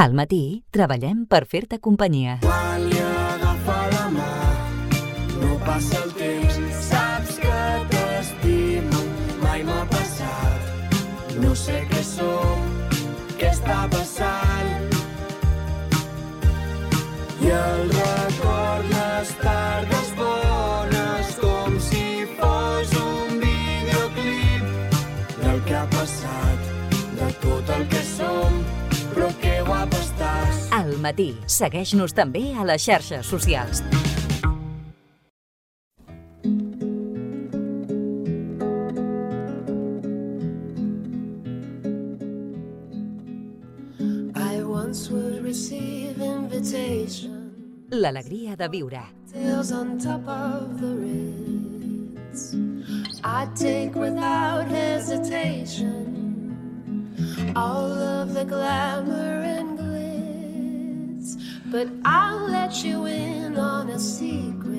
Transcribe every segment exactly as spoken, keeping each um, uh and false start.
Al matí treballem per fer-te companyia. Quan li agafa la mà, no passa el temps, saps que t'estimo, mai m'ha passat. No sé què som, què està passant. I el record les tardes bones, com si fos un videoclip del que ha passat, de tot el que som, però que guapa estàs. Al matí, segueix-nos també a les xarxes socials. I once would receive invitation, L'alegria de viure. tails on top of the Ritz. I'd take without hesitation all of the glamour and glitz, but I'll let you in on a secret.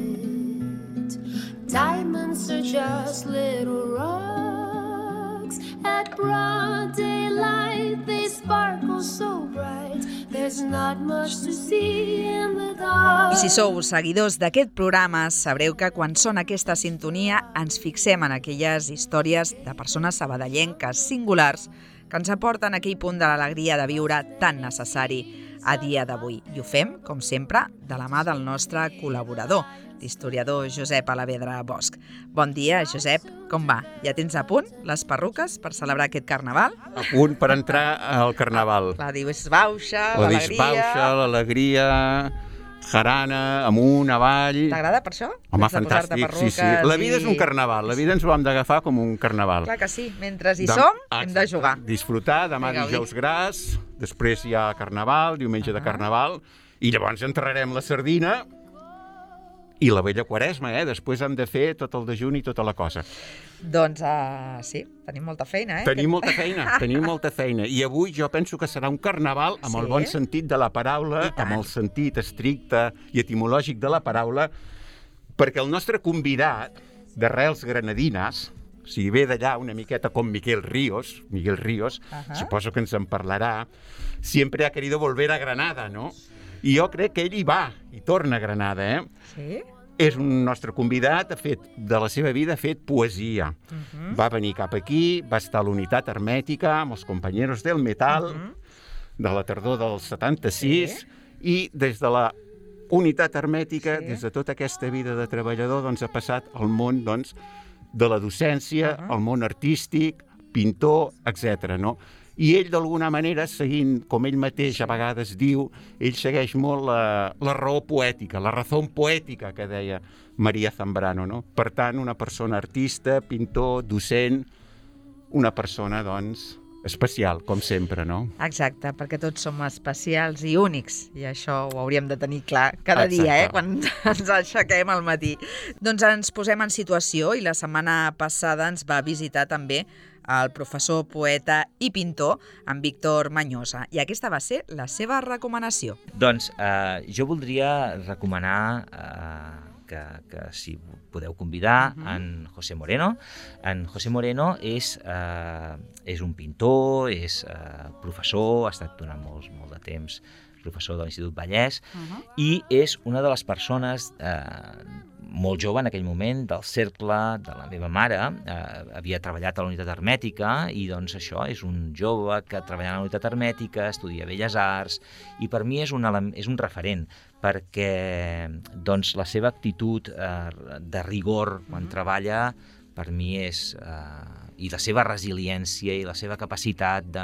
Diamonds are just little rocks. At broad daylight they sparkle so bright. There's not much to see in the dark. I si sou seguidors d'aquest programa, sabreu que quan sona aquesta sintonia ens fixem en aquelles històries de persones sabadellenques singulars que ens aporten aquell punt de l'alegria de viure tan necessari a dia d'avui. I ho fem, com sempre, de la mà del nostre col·laborador, l'historiador Josep Alavedra Bosch. Bon dia, Josep, com va? Ja tens a punt les perruques per celebrar aquest carnaval? A punt per entrar al carnaval. La disbauxa, La l'alegria... disbauxa, l'alegria, jarana, amunt, avall... T'agrada per això? Home, Has de posar-te fantàstic, sí, sí. perruques La vida és un i- carnaval, la vida ens ho hem d'agafar com un carnaval. Clar que sí, mentre hi Dem- som, hem Exacte. de jugar. Disfrutar, demà De gaudir. dijous gras, després hi ha carnaval, diumenge de Ah. carnaval, i llavors enterrarem la sardina i la vella quaresma, eh? Després hem de fer tot el dejuni i tota la cosa. Doncs uh, sí, tenim molta feina, eh? Tenim molta feina, tenim molta feina. I avui jo penso que serà un carnaval amb el Sí? bon sentit de la paraula, I tant. amb el sentit estricte i etimològic de la paraula, perquè el nostre convidat d'arrels granadines, o sigui, ve d'allà una miqueta com Miguel Ríos, Miguel Ríos, Ahà. suposo que ens en parlarà, sempre ha querido volver a Granada, no? I jo crec que ell hi va, i torna a Granada, eh? Sí? És un nostre convidat, ha fet, de la seva vida ha fet poesia. Uh-huh. Va venir cap aquí, va estar a l'unitat hermètica amb els companyeros del metal, Uh-huh. de la tardor del setanta-sis, Sí. i des de la unitat hermètica, Sí. des de tota aquesta vida de treballador, doncs, ha passat al món doncs, de la docència, Uh-huh. al món artístic, pintor, etcètera. No? I ell, d'alguna manera, seguint, com ell mateix a vegades diu, ell segueix molt la, la raó poètica, la raó poètica que deia Maria Zambrano. No? Per tant, una persona artista, pintor, docent, una persona, doncs, especial, com sempre, no? Exacte, perquè tots som especials i únics, i això ho hauríem de tenir clar cada Exacte. dia, eh, quan ens aixequem al matí. Doncs ens posem en situació i la setmana passada ens va visitar també el professor, poeta i pintor, en Víctor Mañosa, i aquesta va ser la seva recomanació. Doncs eh, jo voldria recomanar eh, que, que si podeu convidar Mhm. en José Moreno. En José Moreno és, eh, és un pintor, és eh, professor, ha estat durant molt, molt de temps professor de l'Institut Vallès, Uh-huh. i és una de les persones eh, molt jove en aquell moment del cercle de la meva mare. Eh, havia treballat a la unitat hermètica i doncs això, és un jove que treballa a la unitat hermètica, estudia Belles Arts, i per mi és un, ele- és un referent, perquè doncs, la seva actitud eh, de rigor quan treballa per mi és... Eh, i la seva resiliència i la seva capacitat de,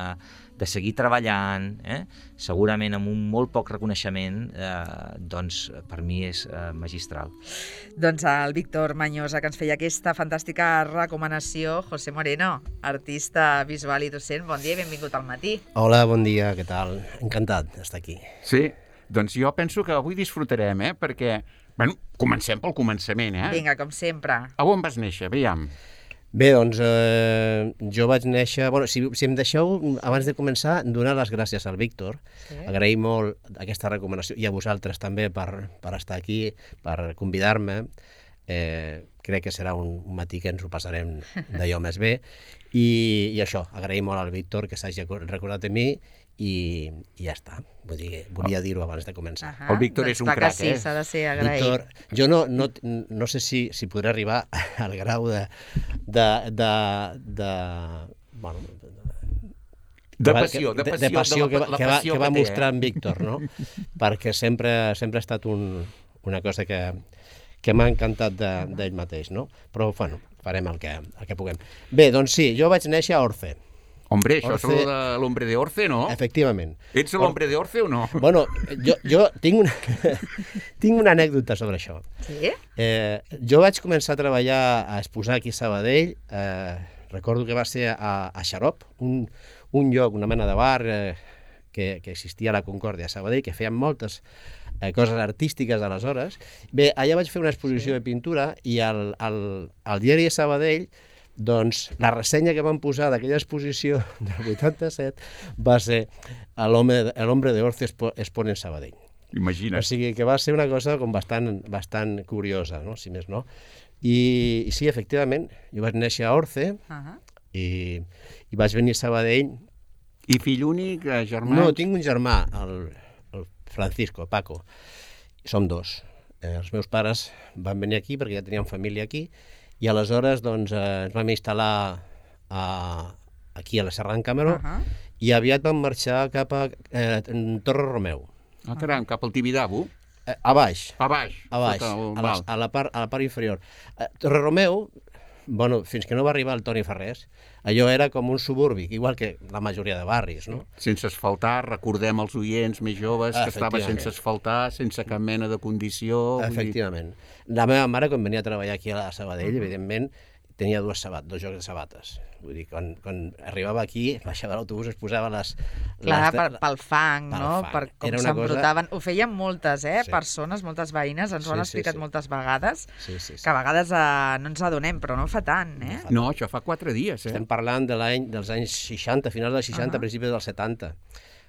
de seguir treballant, eh? segurament amb un molt poc reconeixement, eh, doncs per mi és eh, magistral. Doncs el Víctor Mañosa, que ens feia aquesta fantàstica recomanació. José Moreno, artista visual i docent, bon dia i benvingut al matí. Hola, bon dia, què tal? Encantat d'estar aquí. Sí, doncs jo penso que avui disfrutarem, eh? Perquè, bueno, comencem pel començament, eh? Vinga, com sempre. A on vas néixer? Aviam. Bé, doncs eh, jo vaig néixer... Bueno, si, si em deixeu, abans de començar, donar les gràcies al Víctor. Sí. Agrair molt aquesta recomanació, i a vosaltres també per, per estar aquí, per convidar-me. Eh, crec que serà un, un matí que ens ho passarem d'allò més bé. I, I això, agrair molt al Víctor que s'hagi recordat de mi i, i ja està. Vull dir, volia dir-ho abans de començar. Ah, El Víctor és un doncs clar crac, que sí, eh? s'ha de ser agraït. Víctor, jo no, no, no sé si, si podré arribar al grau de... de, de, de bueno, De que- passió, de de, passió, de passió de que, la- va- la que, va, passió que va que té, mostrar eh? en Víctor, no? Perquè sempre, sempre ha estat un, una cosa que, que m'ha encantat de- d'ell mateix, no? Però, bueno, farem el que, el que puguem. Bé, doncs sí, jo vaig néixer a Orce, Hombre, això és Orce- lo de l'Hombre de Orce, no? efectivament. Ets l'Hombre de Orce o no? Bueno, jo, jo tinc, una, tinc una anècdota sobre això. Sí? Eh, jo vaig començar a treballar a exposar aquí a Sabadell, eh, recordo que va ser a, a Xarop, un, un lloc, una mena de bar eh, que, que existia a la Concòrdia a Sabadell, que feien moltes eh, coses artístiques aleshores. Bé, allà vaig fer una exposició de pintura i al, al, al diari de Sabadell, doncs la ressenya que van posar d'aquella exposició del vuitanta-set va ser l'home el hombre de Orce expo, expone en Sabadell. Imagina't. O sigui que va ser una cosa com bastant, bastant curiosa, no? Si més no. I, i sí, efectivament, jo vaig néixer a Orce Uh -huh. i, i vaig venir a Sabadell. I fill únic, eh, germans? No, tinc un germà, el, el Francisco, Paco. Som dos. Eh, els meus pares van venir aquí perquè ja tenien família aquí i aleshores doncs, eh, ens vam instal·lar a, aquí a la Serra d'en Cameró Uh -huh. i aviat vam marxar cap a eh, Torre Romeu. Ah, caram, cap al Tibidabo? Eh, a baix, A baix. a baix, sota el a, la, mal. a, la part, a la part inferior. Eh, Torre Romeu, bueno, fins que no va arribar el Toni Ferrés, allò era com un suburbi, igual que la majoria de barris, no? Sense asfaltar, recordem els oients més joves que estava Efectivament. sense asfaltar, sense cap mena de condició. vull dir- Efectivament. La meva mare, quan venia a treballar aquí a Sabadell, evidentment, tenia dues sabat, dos jocs de sabates. Vull dir, quan, quan arribava aquí, baixava a l'autobús, es posava les... Clar, les- per, pel fang, pel no? fang. Per com Era una cosa- s'embrutaven. Ho feien moltes, eh? Sí. Persones, moltes veïnes, ens ho han Sí, sí, explicat sí. moltes vegades, Sí, sí, sí. que a vegades eh, no ens adonem, però no fa tant, eh? No, això fa quatre dies, eh? Estem parlant de l'any dels anys seixanta, finals dels seixanta, Ah. principis dels setanta.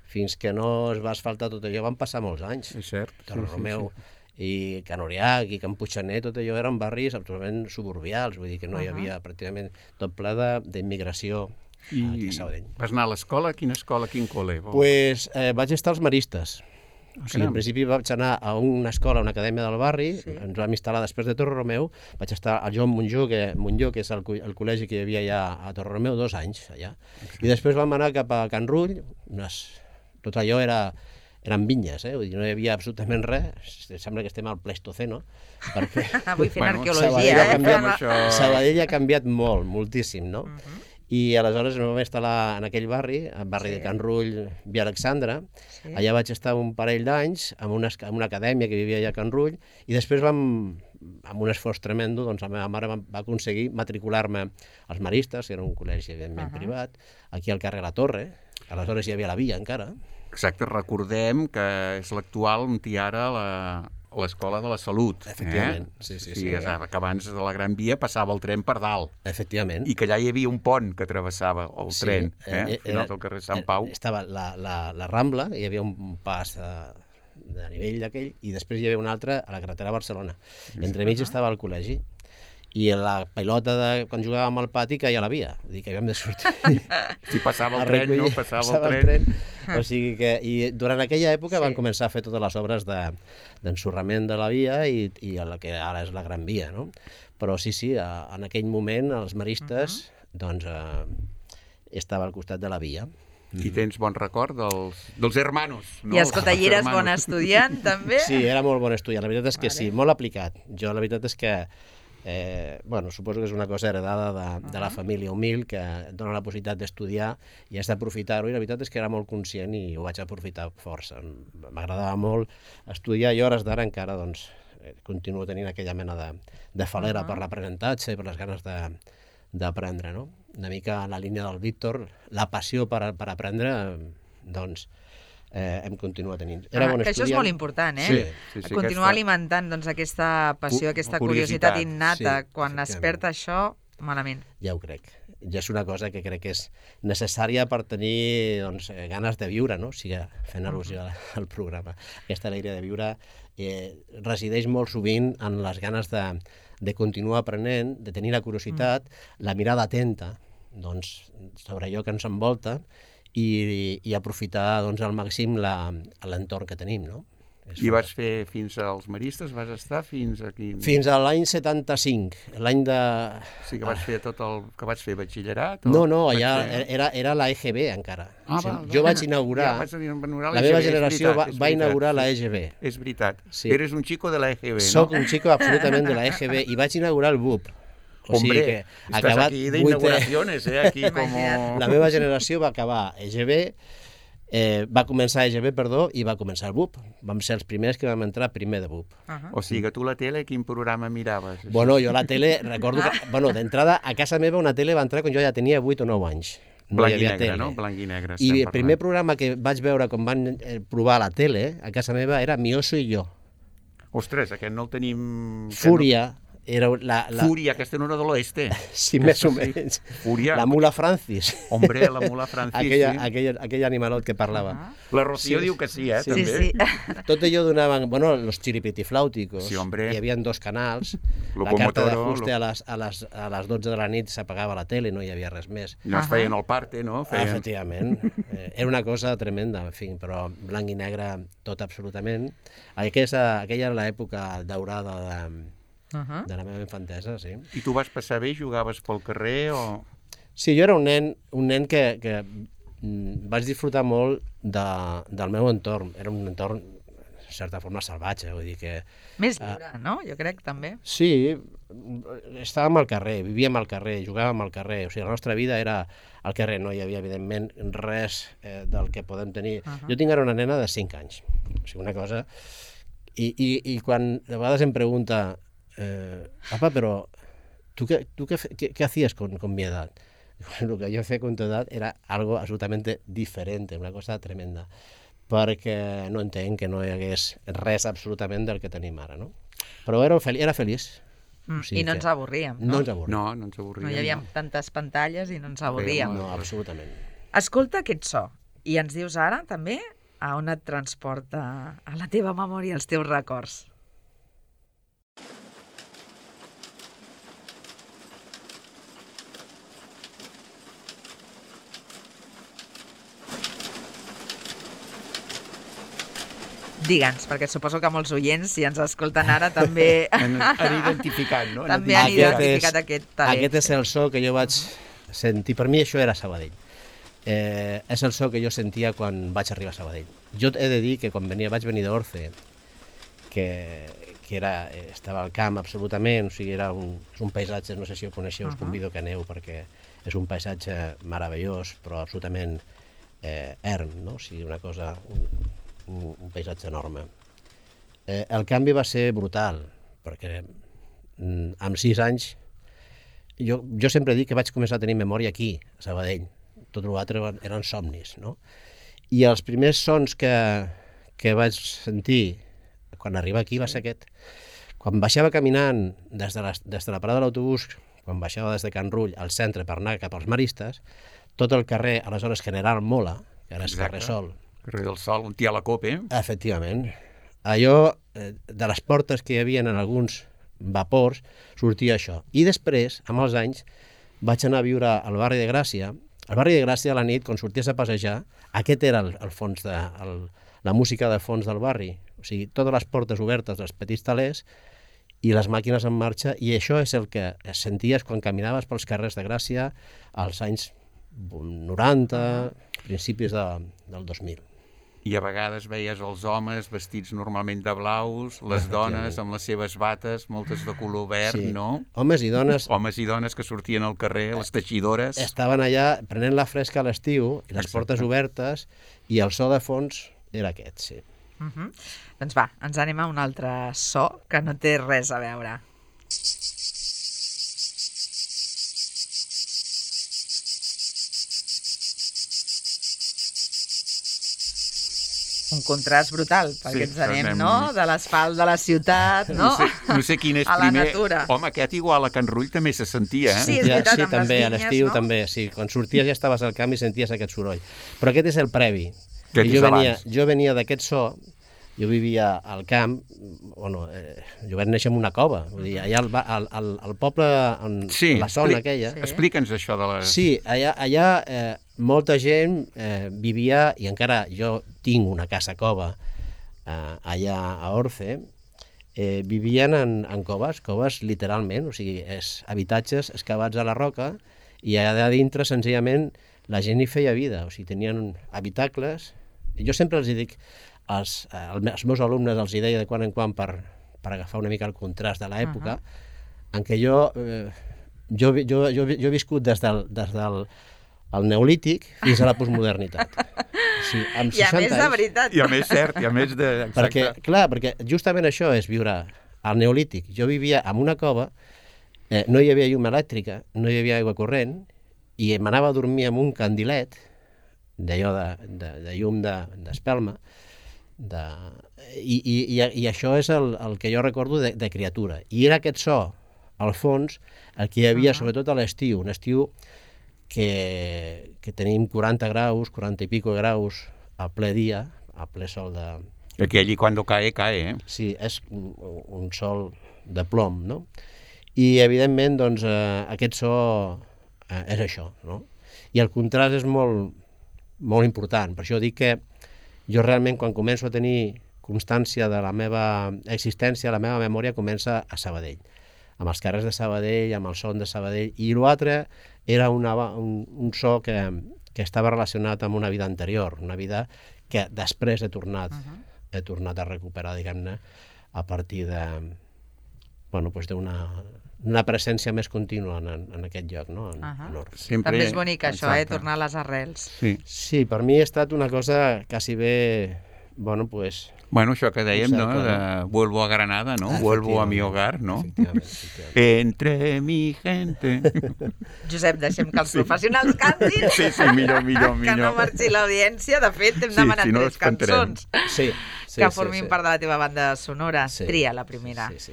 Fins que no es va asfaltar tot allò van passar molts anys. És cert. Torre sí, sí, Romeu i Can Oriac i Can Puigxaner, tot allò eren barris absolutament suburbials, vull dir que no hi havia pràcticament tot ple de- d'immigració I aquí a Sabadell. vas anar a l'escola? Quina escola? Quin col·le? Pues, eh, vaig estar als Maristes. O sigui, caram. en principi vaig anar a una escola, a una acadèmia del barri, Sí. ens vam instal·lar després de Torre Romeu, vaig estar al Joan Montjó, que, Montjó, que és el, co- el col·legi que hi havia allà a Torre Romeu, dos anys allà. I després vam anar cap a Can Rull, unes... tot allò era, eren vinyes, eh? Vull dir, no hi havia absolutament res, sembla que estem al Pleistoceno, perquè Avui fent Bueno, arqueologia, Sabadell ha eh? canviat, Fent- això. Sabadell ha canviat molt, moltíssim, no? Uh -huh. I aleshores em vam instal·lar en aquell barri, el barri Sí. de Can Rull, Via Alexandra. Sí. Allà vaig estar un parell d'anys amb una, esc- amb una acadèmia que vivia allà a Can Rull i després vam, amb un esforç tremendo, doncs la meva mare va, va aconseguir matricular-me als Maristes, que era un col·legi evidentment Uh -huh. privat, aquí al carrer La Torre. Aleshores hi havia la via encara. Exacte, recordem que és l'actual on hi ha ara la, l'escola de la Salut. Efectivament, eh? sí, sí, sí, sí. és que abans de la Gran Via passava el tren per dalt Efectivament. i que allà hi havia un pont que travessava el Sí, tren, eh? eh, al final era- del carrer Sant eh, Pau. Estava la, la, la Rambla, hi havia un pas de, de nivell d'aquell, i després hi havia un altre a la carretera a Barcelona. Entremig estava el col·legi, i la pilota de quan jugàvem al pati caia a la via, vull dir que havíem de sortir Si passava a el tren, no? recollir- Passava el tren. O sigui que, i durant aquella època Sí. van començar a fer totes les obres de- d'ensorrament de, de la via i, i la que ara és la Gran Via, no? Però sí, sí, a, en aquell moment els maristes, doncs, eh, estava al costat de la via. I tens bon record dels, dels hermanos, no? I escolta, Els i eres hermanos. bon estudiant, també? Sí, era molt bon estudiant, la veritat és que Vale. sí, molt aplicat. Jo la veritat és que, eh, bueno, suposo que és una cosa heredada de, de la família humil que et dona la possibilitat d'estudiar i has d'aprofitar-ho, i la veritat és que era molt conscient i ho vaig aprofitar força. M'agradava molt estudiar i a hores d'ara encara doncs, eh, continuo tenint aquella mena de, de falera Uh-huh. per l'aprenentatge i per les ganes de d'aprendre, no? Una mica en la línia del Víctor, la passió per, per aprendre, eh, doncs, eh, hem continuat tenint. Era Ah, bon que això és estudiant. molt important, eh? Sí, sí, sí, Continuar aquesta- alimentant doncs, aquesta passió, Cu- aquesta curiositat, curiositat innata. sí, Quan es perd efectivament. això, malament. Ja ho crec. Ja és una cosa que crec que és necessària per tenir doncs, eh, ganes de viure, no? O sigui, fent al·lusió al, al programa. Aquesta alegria de viure eh, resideix molt sovint en les ganes de, de continuar aprenent, de tenir la curiositat, mm. la mirada atenta doncs, sobre allò que ens envolta i, i aprofitar doncs, al màxim la- l'entorn que tenim, no? És I vas fer fins als Maristes, vas estar fins aquí... Fins a l'any setanta-cinc, l'any de... Sí, que vas fer tot el... que vaig fer batxillerat? o No, no, vaig ja fer- era, era la E G B encara. Ah, O sigui, val, jo val. vaig inaugurar... Ja, vaig inaugurar La l'E G B, meva és generació veritat, va, és va veritat, inaugurar sí. la E G B. És veritat. Sí. Eres un xico de la E G B, Soc no? un xico absolutament de la E G B i vaig inaugurar el B U P. O sigui Hombre, que estàs acabat aquí vuitè- d'inauguraciones, eh? Aquí com... La meva generació va acabar E G B, eh, va començar E G B, perdó, i va començar el B U P. Vam ser els primers que vam entrar primer de B U P. O sigui que tu la tele, quin programa miraves? Bueno, jo la tele, recordo que, bueno, d'entrada, a casa meva una tele va entrar quan jo ja tenia vuit o nou anys. No Blanc hi i havia negre, tele. no? Blanc i negre. I estem el primer parlant. programa que vaig veure quan van eh, provar la tele a casa meva era Mi oso i jo. Ostres, aquest no el tenim... que Fúria, era la... No... la... Fúria, aquesta no era de l'oeste. Sí, més o Sí. menys. Fúria. La mula Francis. Hombre, la mula Francis, aquella, sí. aquell, aquell animalot que parlava. La Rocío Sí. diu que sí, eh, Sí, Sí, també. sí. Tot allò donaven, bueno, los chiripitiflàuticos. Sí, hombre. Hi havia dos canals. La Locomotoro, carta d'ajuste lo- a les, a, les, a les dotze de la nit s'apagava la tele, no hi havia res més. No es feien el parte, no? Ah, Feien... efectivament. Eh, era una cosa tremenda, en fi, però blanc i negre tot absolutament. Aquesta, aquella era l'època daurada de, Uh -huh. de la meva infantesa, sí. I tu vas passar bé? Jugaves pel carrer o...? Sí, jo era un nen, un nen que, que mm, vaig disfrutar molt de, del meu entorn. Era un entorn, de certa forma, salvatge, vull dir que... Més lliure, no? Jo crec, també. Sí, estàvem al carrer, vivíem al carrer, jugàvem al carrer, o sigui, la nostra vida era al carrer, no hi havia, evidentment, res eh, del que podem tenir. Uh -huh. Jo tinc ara una nena de cinc anys, o sigui, una cosa... I, i, i quan de vegades em pregunta, eh, papa, però tu, què, tu què, fe- què, què hacías con, con mi edad? Lo que yo hacía con tu edad era algo absolutamente diferente, una cosa tremenda, perquè no entenc que no hi hagués res absolutament del que tenim ara, no? Però era, fel era feliç. Mm. O sigui I no que ens avorríem, No no? ens avorrim. No, no ens avorríem. No hi havia tantes pantalles i no ens avorríem. No, absolutament. Escolta aquest so i ens dius ara, també, a on et transporta a la teva memòria, els teus records. Digue'ns, perquè suposo que molts oients, si ens escolten ara, també, Han, han identificat, no? també han Aquest identificat és- aquest talent. Aquest és el so que jo vaig sentir. Per mi això era Sabadell. Eh, és el so que jo sentia quan vaig arribar a Sabadell. Jo he de dir que quan venia, vaig venir d'Orce, que, que era, estava al camp absolutament, o sigui, era un, és un paisatge, no sé si ho coneixeu, us convido que aneu, perquè és un paisatge meravellós, però absolutament eh, erm, no? O sigui, una cosa, un, un, un paisatge enorme. Eh, el canvi va ser brutal, perquè mm, amb sis anys jo, jo sempre dic que vaig començar a tenir memòria aquí, a Sabadell. Tot l'altre eren, eren somnis, no? I els primers sons que, que vaig sentir quan arribava aquí va ser aquest. Quan baixava caminant des de la, des de la parada de l'autobús, quan baixava des de Can Rull al centre per anar cap als Maristes, tot el carrer, aleshores General Mola, que ara és Exacte. carrer Sol, Carrer del Sol, un tia a la copa, eh? efectivament, allò eh, de les portes que hi havia en alguns vapors, sortia això. I després, amb els anys, vaig anar a viure al barri de Gràcia. Al barri de Gràcia, a la nit, quan sorties a passejar, aquest era el, el fons de, el, la música de fons del barri. O sigui, totes les portes obertes, els petits talers, i les màquines en marxa, i això és el que senties quan caminaves pels carrers de Gràcia als anys noranta, principis de, del dos mil. I a vegades veies els homes vestits normalment de blaus, les dones amb les seves bates, moltes de color verd, Sí. no? Homes i dones Homes i dones que sortien al carrer, les teixidores... estaven allà prenent la fresca a l'estiu, i les Exacte. portes obertes, i el so de fons era aquest, sí. Uh -huh. Doncs va, ens anem a un altre so que no té res a veure. Un contrast brutal, perquè Sí, ens anem, anem- no?, de l'asfalt de la ciutat, no?, No sé, no sé quin és a la primer... natura. Home, aquest igual a Can Rull també se sentia, eh? Sí, és Ja, veritat, sí, amb les també, a vinyes, l'estiu no? també, sí. Quan sorties ja estaves al camp i senties aquest soroll. Però aquest és el previ. Aquest I jo és venia, abans. jo venia d'aquest so jo vivia al camp, bueno, eh, jo vaig néixer en una cova, vull dir, allà al, al, al, al poble, en sí, la zona expli aquella... Sí. Explica'ns això de la... Sí, allà, allà eh, molta gent eh, vivia, i encara jo tinc una casa cova eh, allà a Orce, eh, vivien en, en coves, coves literalment, o sigui, és habitatges excavats a la roca, i allà dintre, senzillament, la gent hi feia vida, o sigui, tenien habitacles. Jo sempre els dic, als, als meus alumnes els deia de quan en quan per, per agafar una mica el contrast de l'època, uh -huh. en què jo, eh, jo, jo, jo, jo he viscut des del, des del el neolític fins a la postmodernitat. Sí, amb I a més de anys, veritat. I a més cert, i a més de... Exacte. perquè, clar, perquè justament això és viure al neolític. Jo vivia en una cova, eh, no hi havia llum elèctrica, no hi havia aigua corrent, i m'anava a dormir amb un candilet, d'allò de, de, de llum d'espelma, de, i, i, i això és el, el que jo recordo de, de criatura. I era aquest so, al fons, el que hi havia, uh -huh. sobretot a l'estiu, un estiu que, que tenim quaranta graus, quaranta i pico graus a ple dia, a ple sol de... Aquí allí quan cae, cae, eh? Sí, és un, un sol de plom, no? I, evidentment, doncs, eh, aquest so eh, és això, no? I el contrast és molt, molt important. Per això dic que jo realment, quan començo a tenir constància de la meva existència, la meva memòria comença a Sabadell, amb els carrers de Sabadell, amb el son de Sabadell, i l'altre era una, un, un so que, que estava relacionat amb una vida anterior, una vida que després he tornat, uh -huh. he tornat a recuperar, diguem-ne, a partir de, bueno, doncs d'una una presència més contínua en, en aquest lloc, no? En, uh -huh. en Orfe. Sempre... També és bonic això, Exacte. eh? Tornar a les arrels. Sí. Sí, per mi ha estat una cosa quasi bé, bueno, pues... Bueno, això que dèiem, no? Exacte, De vuelvo a Granada, no? Vuelvo a mi hogar, no? Efectivament, efectivament. Entre mi gente. Josep, deixem que els professionals cantin. Sí, sí, millor, millor, millor. Que no marxi l'audiència. De fet, hem Sí, demanat si no, tres els cantarem. cançons Sí, sí, que sí, formin sí. part de la teva banda sonora. Sí. Tria la primera. Sí, sí.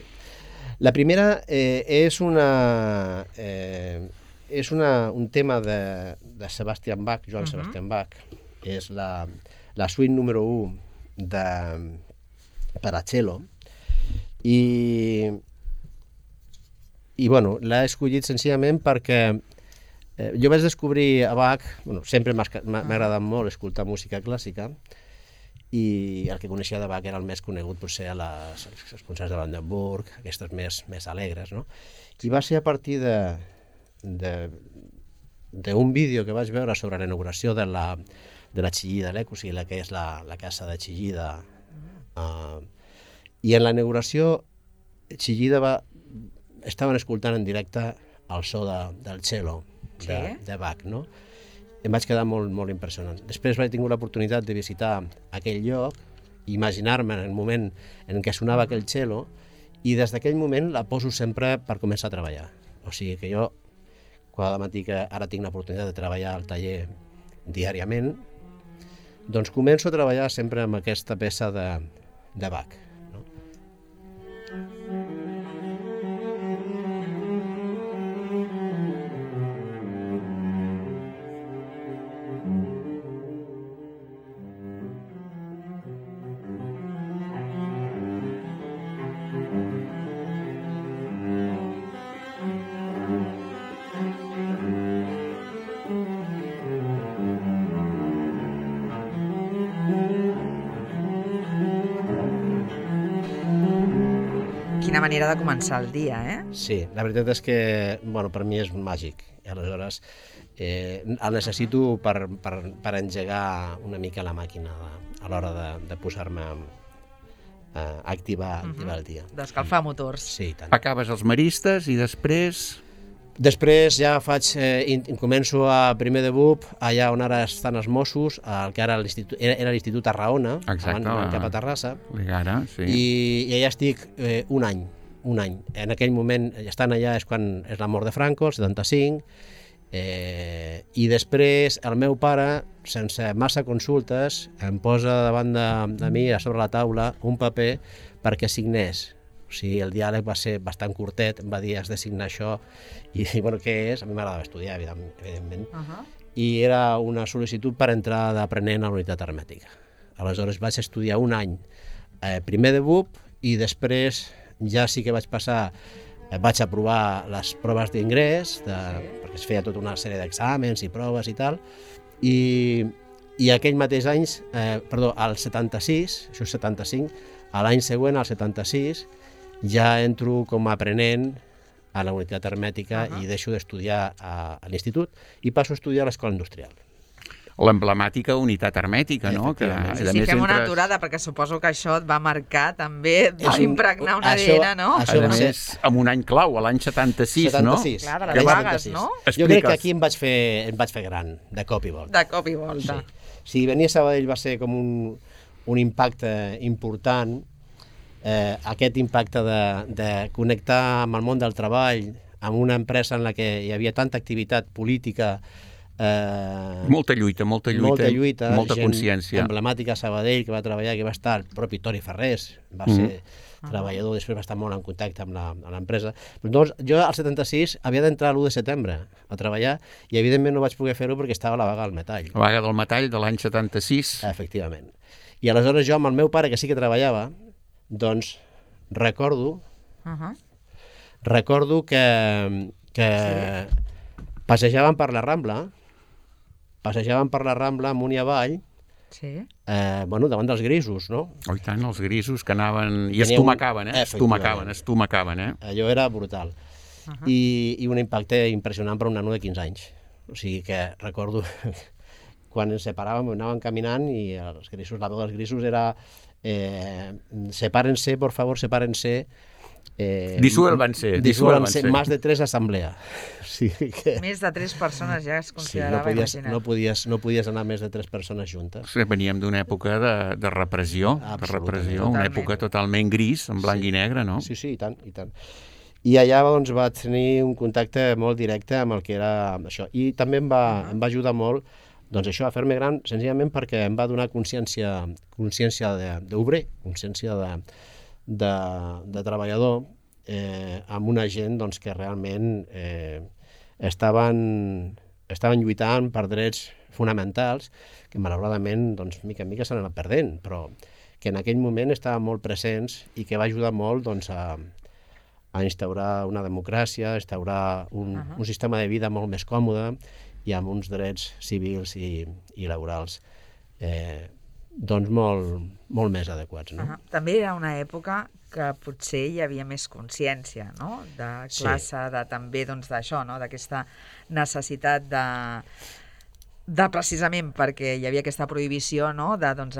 La primera eh, és una... Eh, és una, un tema de, de Sebastian Bach, Joan uh -huh. Sebastian Bach. És la, la suite número u de, per a cello. I, i bueno, l'he escollit senzillament perquè eh, jo vaig descobrir a Bach, bueno, sempre m'ha agradat molt escoltar música clàssica, i el que coneixia de Bach era el més conegut potser a les, als concerts de Brandenburg, aquestes més, més alegres, no? I va ser a partir de d'un vídeo que vaig veure sobre la inauguració de la, de la Chillida Lec, o sigui, la que és la, la casa de Chillida. Uh, I en la inauguració, Chillida va, estaven escoltant en directe el so de, del cello de, Sí? de Bach, no? Em vaig quedar molt, molt impressionant. Després vaig tenir l'oportunitat de visitar aquell lloc, imaginar-me en el moment en què sonava aquell cello, i des d'aquell moment la poso sempre per començar a treballar. O sigui que jo, cada matí que ara tinc l'oportunitat de treballar al taller diàriament, doncs començo a treballar sempre amb aquesta peça de, de Bach. No? Quina manera de començar el dia, eh? Sí, la veritat és que, bueno, per mi és màgic. I aleshores eh, el necessito per, per, per engegar una mica la màquina a l'hora de, de posar-me a activar, activar el dia. D'escalfar motors. Sí, i tant. Acabes els maristes i després... Després ja faig, eh, in- començo a primer de B U P, allà on ara estan els Mossos, el que ara l'institut, era, era l'Institut a Raona, Exacte, abans anant la- cap a Terrassa, Ligara, sí. i, i allà estic eh, un any, un any. En aquell moment, estant allà és quan és la mort de Franco, el setanta-cinc, eh, i després el meu pare, sense massa consultes, em posa davant de, de mi, a sobre la taula, un paper perquè signés. O sigui, el diàleg va ser bastant curtet, em va dir, has de signar això, i, i bueno, què és? A mi m'agradava estudiar, evidentment, Uh -huh. i era una sol·licitud per entrar d'aprenent a la unitat hermètica. Aleshores vaig estudiar un any eh, primer de B U P i després ja sí que vaig passar, eh, vaig aprovar les proves d'ingrés, perquè es feia tota una sèrie d'exàmens i proves i tal, i, i aquell mateix any, eh, perdó, al setanta-sis, això és setanta-cinc, a l'any següent, al setanta-sis, ja entro com a aprenent a la unitat hermètica uh-huh. i deixo d'estudiar a, a l'institut i passo a estudiar a l'escola industrial. L'emblemàtica unitat hermètica, no? Que, sí, sí, fem una aturada, perquè suposo que això et va marcar també, va impregnar un A D N, no? Això, a més, amb un any clau, l'any setanta-sis, setanta-sis, no? Clar, de les vagues, no? Jo crec que aquí em vaig fer, em vaig fer gran, de cop i volta. De cop i volta. Sí. Si venir a Sabadell va ser com un, un impacte important, eh, aquest impacte de, de connectar amb el món del treball, amb una empresa en la que hi havia tanta activitat política, Eh, molta lluita, molta lluita, molta, lluita, molta consciència. Emblemàtica a Sabadell, que va treballar, que va estar el propi Toni Ferrés, va mm. ser ah. treballador, després va estar molt en contacte amb l'empresa. Doncs jo al setanta-sis havia d'entrar l'u de setembre a treballar i evidentment no vaig poder fer-ho perquè estava la vaga del metall. La vaga del metall de l'any setanta-sis. Efectivament. I aleshores jo amb el meu pare, que sí que treballava, doncs recordo uh -huh. recordo que, que sí. passejàvem per la Rambla passejàvem per la Rambla amunt i avall, sí. eh, bueno, davant dels grisos, no? Oh, i tant, els grisos que anaven i estomacaven, eh? Estomacaven, estomacaven, eh? Allò era brutal. Uh -huh. I, I un impacte impressionant per un nano de quinze anys. O sigui que recordo quan ens separàvem, anàvem caminant i els grisos, la veu dels grisos era eh, sepárense, por favor, sepárense. Eh, disuélvanse, disuélvanse, más de tres assemblea. Sí, que... Més de tres persones ja es considerava, sí, no podies, imagina't. No podies, no podies anar més de tres persones juntes. Sí, veníem d'una època de, de repressió, de repressió, una època totalment gris, en blanc sí. i negre, no? Sí, sí, i tant, i tant. I allà doncs, vaig tenir un contacte molt directe amb el que era això. I també em va, uh -huh. em va ajudar molt doncs això, a fer-me gran, senzillament perquè em va donar consciència, consciència d'obrer, consciència de, de, de treballador, eh, amb una gent doncs, que realment eh, estaven, estaven lluitant per drets fonamentals que malauradament doncs, mica en mica s'han anat perdent, però que en aquell moment estaven molt presents i que va ajudar molt doncs, a, a instaurar una democràcia, a instaurar un, uh -huh. un sistema de vida molt més còmode i amb uns drets civils i, i laborals eh, doncs molt, molt més adequats. No? Uh -huh. També era una època que potser hi havia més consciència, no? De classe, sí. de també doncs, d'això, no? D'aquesta necessitat de, de precisament perquè hi havia aquesta prohibició, no? De doncs,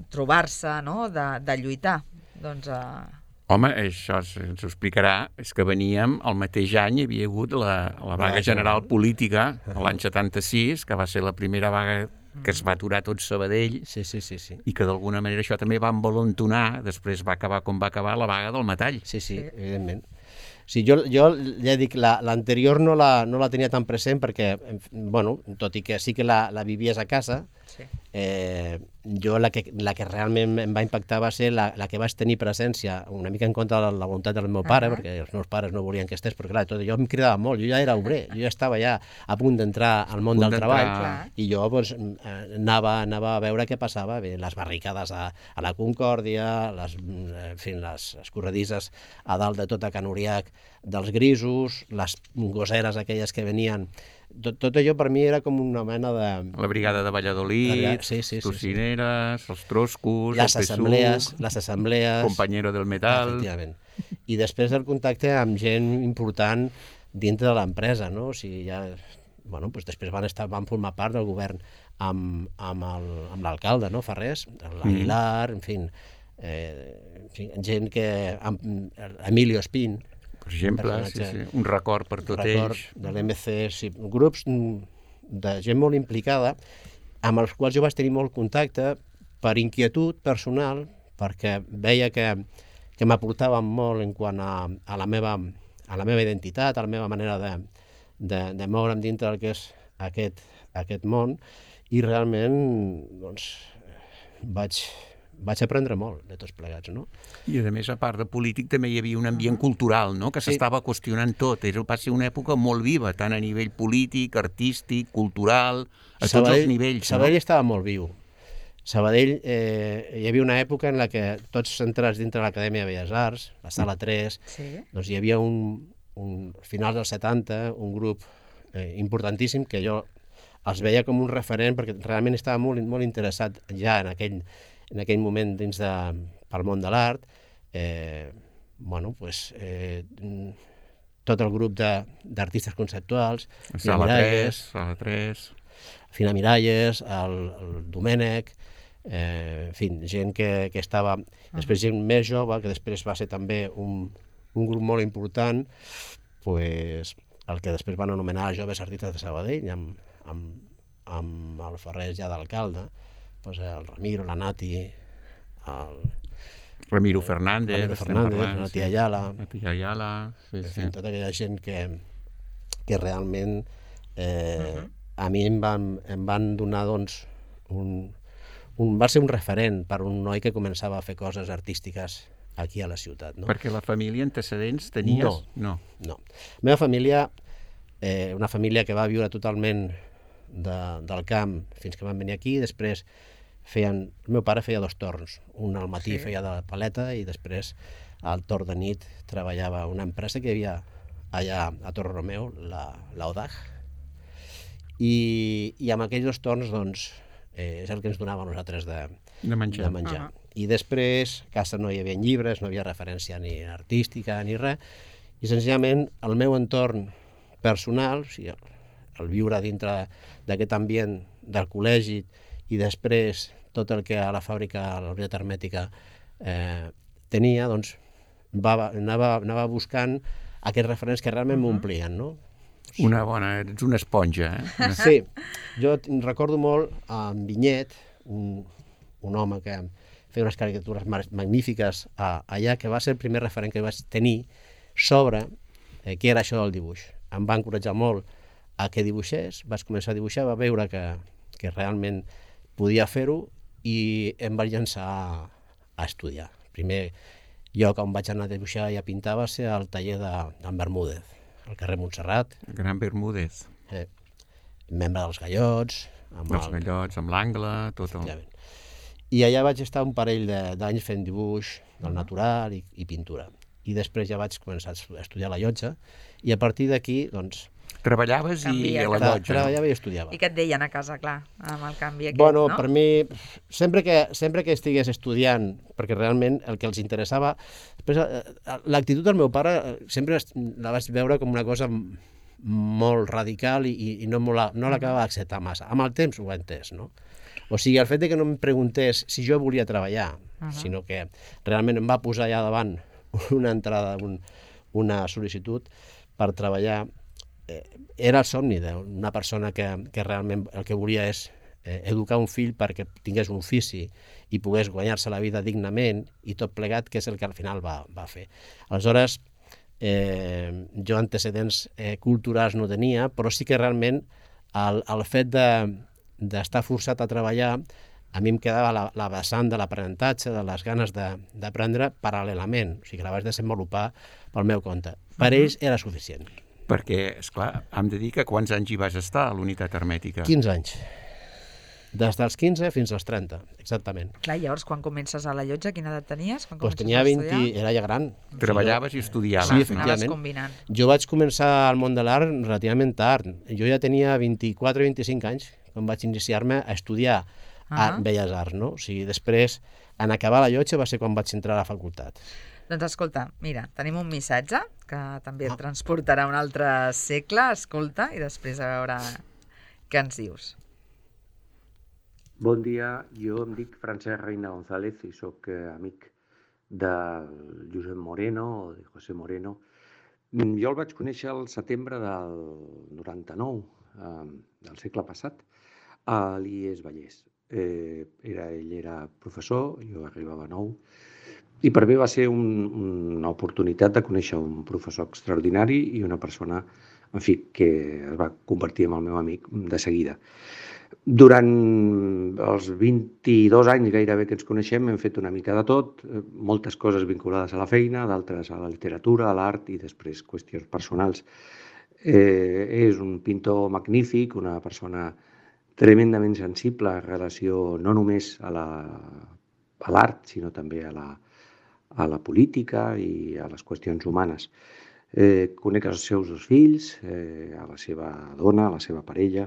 trobar-se, no? de, de lluitar. Doncs, a... Home, això ens ho explicarà, és que veníem, el mateix any hi havia hagut la, la vaga general política, l'any setanta-sis, que va ser la primera vaga que es va aturar tot Sabadell, sí, sí, sí, sí. i que d'alguna manera això també va envalentonar, després va acabar com va acabar la vaga del metall. Sí, sí, evidentment. Sí, jo, jo ja dic, l'anterior no, la, no la tenia tan present perquè, bueno, tot i que sí que la, la vivies a casa, sí. eh, jo la que, la que realment em va impactar va ser la, la que vaig tenir presència, una mica en contra de la voluntat del meu pare, uh -huh. perquè els meus pares no volien que estés, perquè clar, tot, jo em cridava molt, jo ja era obrer, jo ja estava ja a punt d'entrar al món del treball, clar. I jo pues, anava, anava a veure què passava, bé, les barricades a, a la Concòrdia, les, en fi, les escorredisses a dalt de tota Can Uriac, dels grisos, les gosseres aquelles que venien. Tot, tot allò per mi era com una mena de... La brigada de Valladolid, sí, sí, sí, tocineres, sí, sí. els troscos, les el assemblees, les assemblees... Compañero del metal... Efectivament. I després el contacte amb gent important dintre de l'empresa, no? O sigui, ja... Bueno, doncs després van, estar, van formar part del govern amb, amb l'alcalde, no? Ferrés, l'Aguilar, mm. en fi, eh, en fi, gent que... Amb, Emilio Espín, per exemple, sí, sí. un record per tot record ells. De l'M C, sí, grups de gent molt implicada, amb els quals jo vaig tenir molt contacte per inquietud personal, perquè veia que, que m'aportaven molt en quant a, a, la meva, a la meva identitat, a la meva manera de, de, de moure'm dintre del que és aquest, aquest món, i realment doncs, vaig... vaig aprendre molt de tots plegats, no? I a més, a part de polític, també hi havia un ambient cultural, no? Que s'estava sí. qüestionant tot. Era, va ser una època molt viva, tant a nivell polític, artístic, cultural, a Sabadell, tots els nivells. Sabadell no? estava molt viu. Sabadell, eh, hi havia una època en la que tots centrats dintre de l'Acadèmia de Belles Arts, la Sala tres, Sí. doncs hi havia un, un finals dels setanta, un grup eh, importantíssim que jo els veia com un referent perquè realment estava molt, molt interessat ja en aquell, en aquell moment dins de, pel món de l'art. Eh, bueno, pues, eh, tot el grup d'artistes conceptuals, Sala tres, Sala tres... Fina Miralles, el, el Domènec, eh, en fi, gent que, que estava... Després gent més jove, que després va ser també un, un grup molt important, pues, el que després van anomenar Joves Artistes de Sabadell, amb, amb, amb el Ferrer ja d'alcalde, pues, el Ramiro, la Nati, el... Ramiro Fernández, Ramiro Fernández, la Nati Ayala, Nati Ayala, sí, en sí. fi, tota aquella gent que, que realment eh, uh -huh. a mi em van, em van donar, doncs, un, un, va ser un referent per un noi que començava a fer coses artístiques aquí a la ciutat. No? Perquè la família antecedents tenies... No. No. No. La meva família, eh, una família que va viure totalment de, del camp fins que van venir aquí, després feien... El meu pare feia dos torns, un al matí sí. feia de paleta i després al torn de nit treballava a una empresa que hi havia allà a Torre Romeu, la, la O D A G, i, i amb aquells dos torns doncs, eh, és el que ens donava a nosaltres de, de menjar. De menjar. Ah. I després, a casa no hi havia llibres, no hi havia referència ni artística ni res, i senzillament el meu entorn personal, o sigui, el, el viure dintre d'aquest ambient del col·legi i després tot el que a la fàbrica, a la unitat hermètica, eh, tenia, doncs va, anava, anava buscant aquests referents que realment m'omplien, no? Una bona... Ets una esponja, eh? Sí. Jo recordo molt en Vinyet, un, un home que feia unes caricatures magnífiques a, allà, que va ser el primer referent que vaig tenir sobre eh, què era això del dibuix. Em va encoratjar molt a que dibuixés, vaig començar a dibuixar, va veure que, que realment podia fer-ho i em vaig llançar a, a estudiar. Primer lloc on vaig anar a dibuixar i a pintar va ser al taller d'en Bermúdez, al carrer Montserrat. El gran Bermúdez. Eh, membre dels Gallots. Amb els el... Gallots, amb l'angle, tot el... I allà vaig estar un parell d'anys fent dibuix del natural i, i pintura. I després ja vaig començar a estudiar a la llotja i a partir d'aquí, doncs... Treballaves Canvia, i a la llotja. Treballava i estudiava. I què et deien a casa, clar, amb el canvi aquest, bueno, no? Per mi, sempre que, sempre que estigués estudiant, perquè realment el que els interessava... L'actitud del meu pare sempre la vaig veure com una cosa molt radical i, i no, no l'acabava d'acceptar massa. Amb el temps ho he entès, no? O sigui, el fet de que no em preguntés si jo volia treballar, uh -huh. sinó que realment em va posar allà davant una entrada, un, una sol·licitud per treballar, eh, era el somni d'una persona que, que realment el que volia és eh, educar un fill perquè tingués un ofici i pogués guanyar-se la vida dignament i tot plegat, que és el que al final va, va fer. Aleshores, eh, jo antecedents eh, culturals no tenia, però sí que realment el, el fet de d'estar forçat a treballar, a mi em quedava la, la vessant de l'aprenentatge, de les ganes d'aprendre paral·lelament, o sigui que la vaig desenvolupar pel meu compte. Per ells era suficient. Perquè, esclar, hem de dir que quants anys hi vas estar a l'unitat hermètica? quinze anys. Des dels quinze fins als trenta, exactament. Clar, llavors, quan comences a la llotja, quina edat tenies? Quan pues tenia vint, era ja gran. Treballaves i estudiaves. Sí, efectivament. Combinant. Jo vaig començar al món de l'art relativament tard. Jo ja tenia vint-i-quatre o vint-i-cinc anys quan vaig iniciar-me a estudiar a Belles Arts, no? O sigui, després, en acabar la llotja, va ser quan vaig entrar a la facultat. Doncs escolta, mira, tenim un missatge que també et transportarà a un altre segle, escolta, i després a veure què ens dius. Bon dia, jo em dic Francesc Reina González i sóc amic del Josep Moreno, o de José Moreno. Jo el vaig conèixer al setembre del noranta-nou, del segle passat, a l'I E S Vallès. Eh, era, ell era professor, jo arribava nou, i per mi va ser un, una oportunitat de conèixer un professor extraordinari i una persona, en fi, que es va convertir en el meu amic de seguida. Durant els vint-i-dos anys gairebé que ens coneixem hem fet una mica de tot, moltes coses vinculades a la feina, d'altres a la literatura, a l'art i després qüestions personals. Eh, és un pintor magnífic, una persona tremendament sensible en relació no només a la, a l'art, sinó també a la, a la política i a les qüestions humanes. Eh, conec els seus dos fills, eh, a la seva dona, a la seva parella,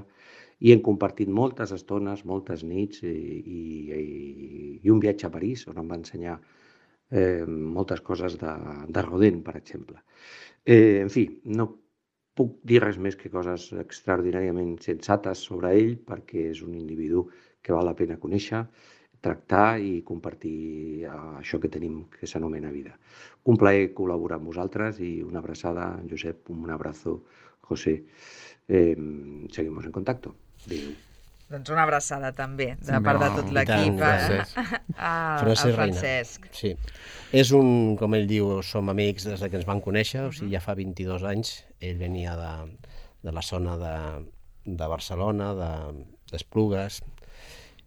i hem compartit moltes estones, moltes nits i, i, i un viatge a París on em va ensenyar eh, moltes coses de, de Rodin, per exemple. Eh, en fi, no puc dir res més que coses extraordinàriament sensates sobre ell perquè és un individu que val la pena conèixer, tractar i compartir això que tenim que s'anomena vida. Un plaer col·laborar amb vosaltres i una abraçada, Josep, un abrazo, José. Eh, seguimos en contacto. Adéu. Doncs una abraçada també, de També, part de oh, tot i l'equip, tant, gràcies. a, a, al Francesc Reina. Francesc. Sí. És un, com ell diu, som amics des que ens van conèixer, o sigui, ja fa vint-i-dos anys. Ell venia de, de la zona de, de Barcelona, de, d'Esplugues,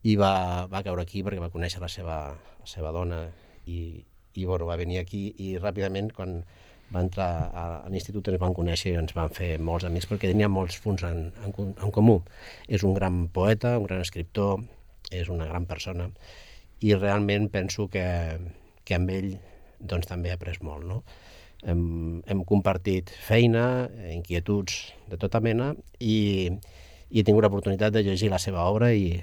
i va, va caure aquí perquè va conèixer la seva, la seva dona i, i bueno, va venir aquí i ràpidament quan va entrar a, a l'institut ens van conèixer i ens van fer molts amics perquè tenia molts punts en, en, en comú. És un gran poeta, un gran escriptor, és una gran persona i realment penso que, que amb ell doncs, també he après molt. No? Hem, hem compartit feina, inquietuds de tota mena i, i he tingut l'oportunitat de llegir la seva obra i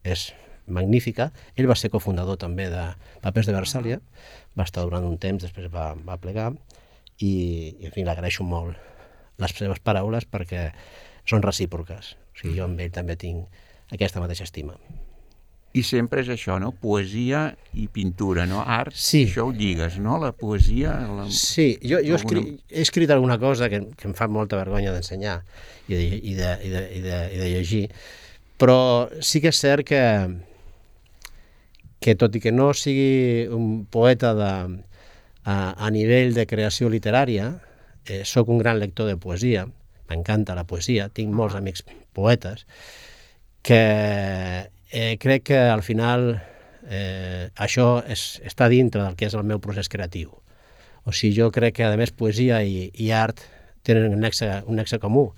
és magnífica. Ell va ser cofundador també de Papers de Versàlia, va estar durant un temps, després va, va plegar i, i en fi, l'agraeixo molt les seves paraules perquè són recíproques. O sigui, jo amb ell també tinc aquesta mateixa estima. I sempre és això, no? Poesia i pintura, no? Art, sí. Això ho lligues, no? La poesia... La... Sí, jo, jo alguna... escri... he escrit alguna cosa que, que em fa molta vergonya d'ensenyar i de, i, de, i, de, i, de, i de llegir, però sí que és cert que, que tot i que no sigui un poeta de, a, a nivell de creació literària, eh, sóc un gran lector de poesia, m'encanta la poesia, tinc molts amics poetes, que eh, crec que al final eh, això és, està dintre del que és el meu procés creatiu. O sigui, jo crec que a més poesia i, i art tenen un nexe, un nexe comú.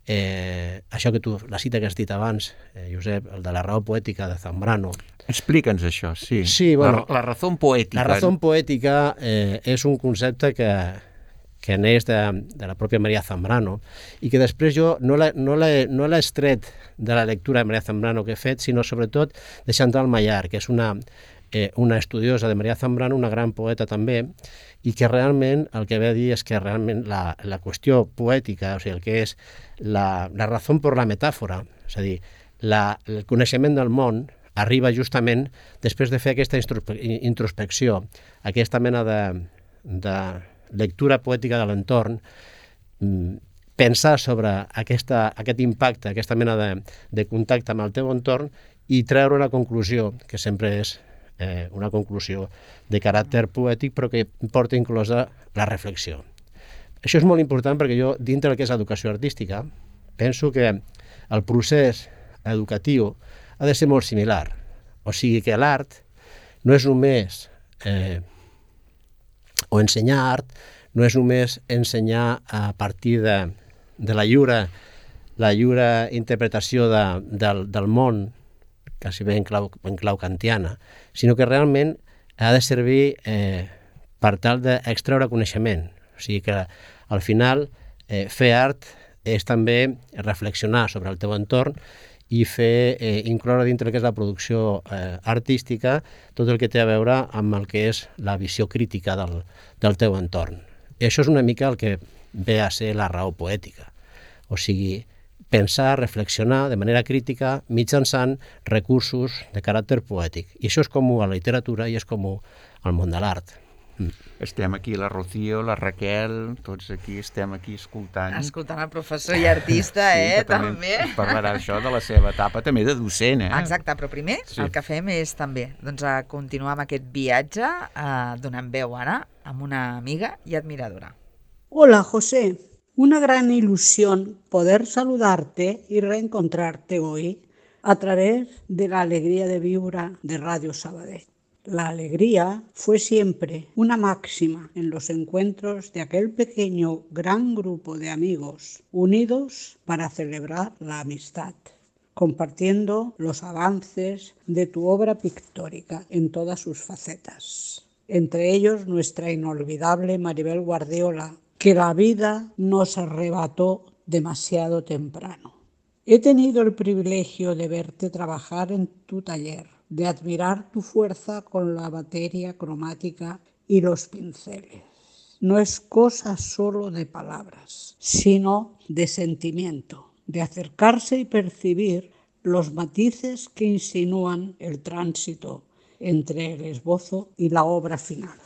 Eh, això que tu, la cita que has dit abans, eh, Josep, el de la raó poètica de Zambrano. Explica'ns això, sí. Sí, bueno, la, la raó poètica. La raó poètica eh, és un concepte que, que neix de, de la pròpia Maria Zambrano i que després jo no l'he no no extret de la lectura de Maria Zambrano que he fet, sinó sobretot de Chantal Maillard, que és una, eh, una estudiosa de Maria Zambrano, una gran poeta també, i que realment el que ve a dir és que realment la, la qüestió poètica, o sigui, el que és la, la raó per la metàfora, és a dir, la, el coneixement del món arriba justament després de fer aquesta introspecció, aquesta mena de, de lectura poètica de l'entorn, pensar sobre aquesta, aquest impacte, aquesta mena de, de contacte amb el teu entorn i treure una conclusió, que sempre és eh, una conclusió de caràcter poètic, però que porta inclosa la reflexió. Això és molt important perquè jo, dintre del que és educació artística, penso que el procés educatiu ha de ser molt similar. O sigui que l'art no és només eh, o ensenyar art, no és només ensenyar a partir de, de la lliure, la lliure interpretació de, del, del món, quasi bé en clau, en clau kantiana, sinó que realment ha de servir eh, per tal d'extreure coneixement. O sigui que al final eh, fer art és també reflexionar sobre el teu entorn i fer, eh, incloure dintre el que és la producció eh, artística tot el que té a veure amb el que és la visió crítica del, del teu entorn. I això és una mica el que ve a ser la raó poètica. O sigui, pensar, reflexionar de manera crítica mitjançant recursos de caràcter poètic. I això és comú a la literatura i és comú al món de l'art. Mm. Estem aquí, la Rocío, la Raquel, tots aquí estem aquí escoltant. Escoltant el professor i artista, sí, eh, també. també. Ens parlarà això de la seva etapa també de docent, eh? Exacte, però primer Sí. el que fem és també doncs, a continuar amb aquest viatge, eh, donant veu ara amb una amiga i admiradora. Hola, José. Una gran ilusión poder saludarte y reencontrarte hoy a través de la alegría de Viure de Radio Sabadell. La alegría fue siempre una máxima en los encuentros de aquel pequeño gran grupo de amigos unidos para celebrar la amistad. compartiendo los avances de tu obra pictórica en todas sus facetas. Entre ellos nuestra inolvidable Maribel Guardiola, que la vida nos arrebató demasiado temprano. He tenido el privilegio de verte trabajar en tu taller, de admirar tu fuerza con la materia cromática y los pinceles. No es cosa solo de palabras, sino de sentimiento, de acercarse y percibir los matices que insinúan el tránsito entre el esbozo y la obra final.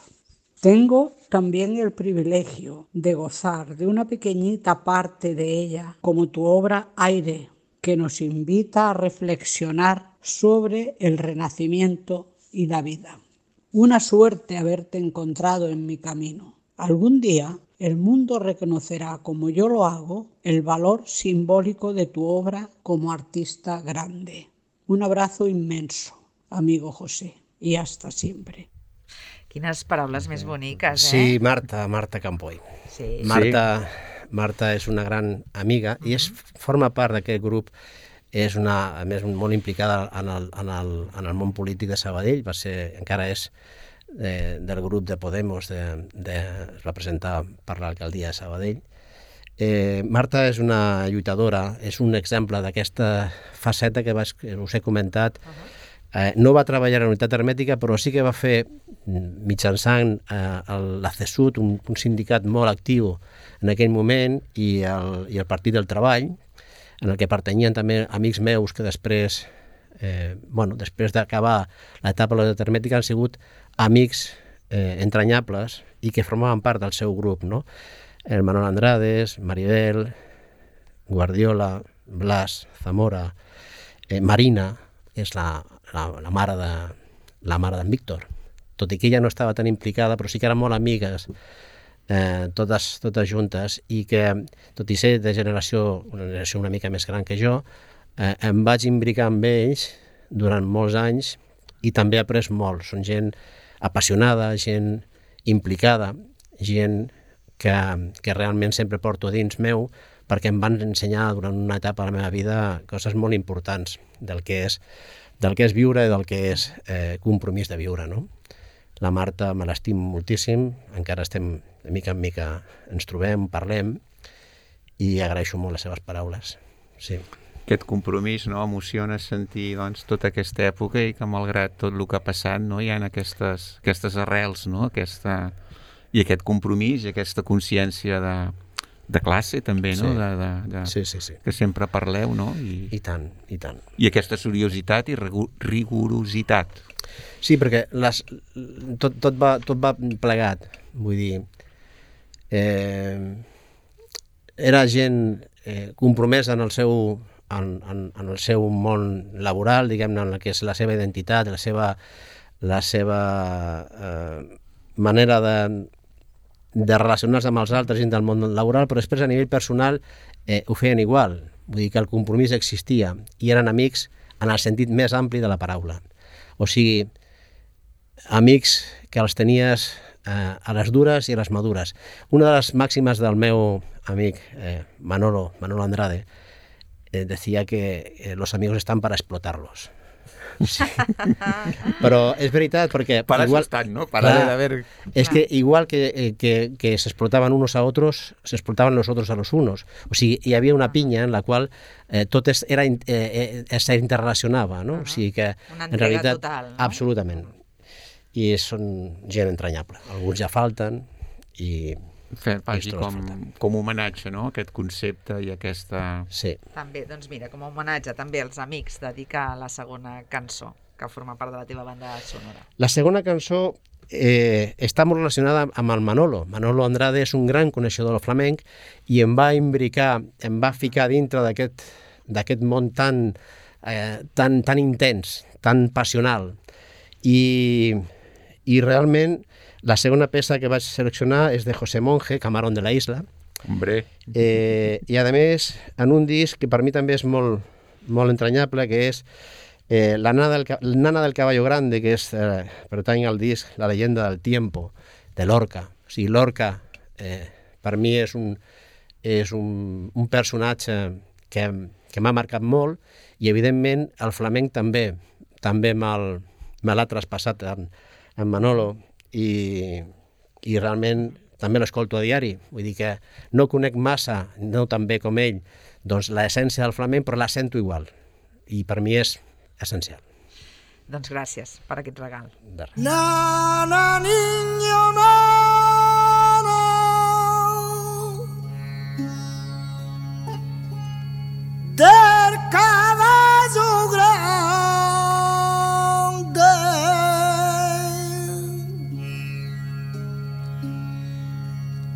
Tengo también el privilegio de gozar de una pequeñita parte de ella, como tu obra Aire, que nos invita a reflexionar sobre el renacimiento y la vida. Una suerte haberte encontrado en mi camino. Algún día el mundo reconocerá, como yo lo hago, el valor simbólico de tu obra como artista grande. Un abrazo inmenso, amigo José, i hasta sempre. Quines paraules més boniques, eh? Sí, Marta, Marta Campoy. Sí. Marta, Marta és una gran amiga i és, forma part d'aquest grup. És una, a més, molt implicada en el, en, el, en el món polític de Sabadell. Va ser, encara és de, del grup de Podemos, de, de, es va presentar per l'alcaldia de Sabadell. Eh, Marta és una lluitadora, és un exemple d'aquesta faceta que, vaig, que us he comentat. Uh-huh. Eh, no va treballar a la unitat hermètica, però sí que va fer, mitjançant eh, l'A C S U T, un, un sindicat molt actiu en aquell moment, i el, i el Partit del Treball, en el que pertanyien també amics meus que després, eh, bueno, després d'acabar l'etapa de la unitat hermètica, han sigut amics eh, entranyables i que formaven part del seu grup, no? El Manuel Andrades, Maribel, Guardiola, Blas, Zamora, eh, Marina, és la, la, la mare de la mare d'en Víctor, tot i que ella no estava tan implicada, però sí que eren molt amigues, eh, totes, totes juntes, i que, tot i ser de generació, una generació una mica més gran que jo, eh, em vaig imbricar amb ells durant molts anys i també he après molt. Són gent apassionada, gent implicada, gent que, que realment sempre porto dins meu, perquè em van ensenyar durant una etapa de la meva vida coses molt importants del que és, del que és viure i del que és eh, compromís de viure, no? La Marta me l'estim moltíssim, encara estem de mica en mica, ens trobem, parlem, i agraeixo molt les seves paraules. Sí. Aquest compromís, no?, emociona sentir, doncs, tota aquesta època i que malgrat tot el que ha passat, no, hi ha aquestes, aquestes arrels, no?, aquesta, i aquest compromís i aquesta consciència de, de classe també, no?, Sí. de, de, de, Sí, sí, sí. que sempre parleu, no? I, I tant, i tant. i aquesta seriositat i rigu- rigorositat. Sí, perquè les, tot, tot, va, tot va plegat, vull dir, eh, era gent eh, compromesa en el seu en, en, en el seu món laboral, diguem-ne, en el que és la seva identitat, la seva, la seva eh, manera de, de relacionar-se amb els altres dins del món laboral, però després a nivell personal eh, ho feien igual. Vull dir que el compromís existia i eren amics en el sentit més ampli de la paraula. O sigui, amics que els tenies eh, a les dures i a les madures. Una de les màximes del meu amic eh, Manolo, Manolo Andrade, eh, decía que eh, los amigos están para explotarlos. Sí. Però és veritat, perquè... Para igual, eso están, ¿no? Para clar, de haber... Es que igual que, eh, que, que se explotaban unos a otros, se explotaban los otros a los unos. O sigui, hi havia una pinya en la qual eh, tot es, era, eh, eh, se interrelacionava, no? Uh -huh. O sigui que, una en entrega realitat, total, no? Absolutament. I són gent entranyable. Alguns ja falten i... Fer, vagi, Esto com, disfruta. com homenatge, no?, aquest concepte i aquesta... Sí. També, doncs mira, com a homenatge també als amics, dedica la segona cançó que forma part de la teva banda sonora. La segona cançó eh, està molt relacionada amb el Manolo. Manolo Andrade és un gran coneixedor del flamenc i em va imbricar, em va ficar dintre d'aquest d'aquest món tan, eh, tan, tan intens, tan passional. I, i realment la segona peça que vaig seleccionar és de José Monge, Camarón de la Isla. Hombre. Eh, I a més, en un disc que per mi també és molt, molt entranyable, que és eh, la, nana del, Nana del Caballo Grande, que és, eh, pertany al disc La leyenda del tiempo, de Lorca. O sigui, Lorca eh, per mi és un, és un, un personatge que, que m'ha marcat molt, i evidentment el flamenc també, també me'l, me l'ha traspassat en, en Manolo, i, i realment també l'escolto a diari, vull dir que no conec massa, no tan bé com ell, doncs l'essència del flamenc, però la sento igual, i per mi és essencial. Doncs gràcies per aquest regal. De res. Na, na, niño, na, na. Del caballo grande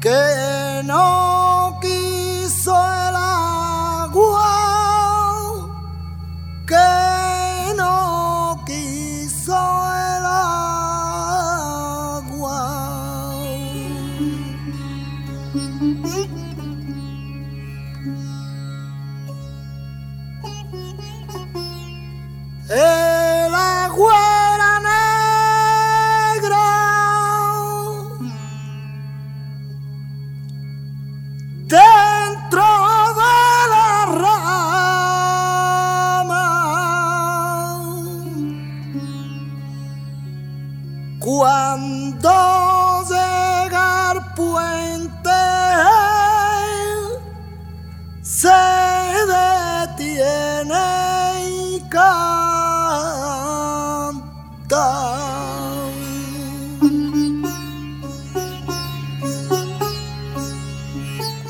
que no quiso el agua, que no quiso el agua. El agua era negra, dentro de la rama, cuando llega al puente se detiene y canta.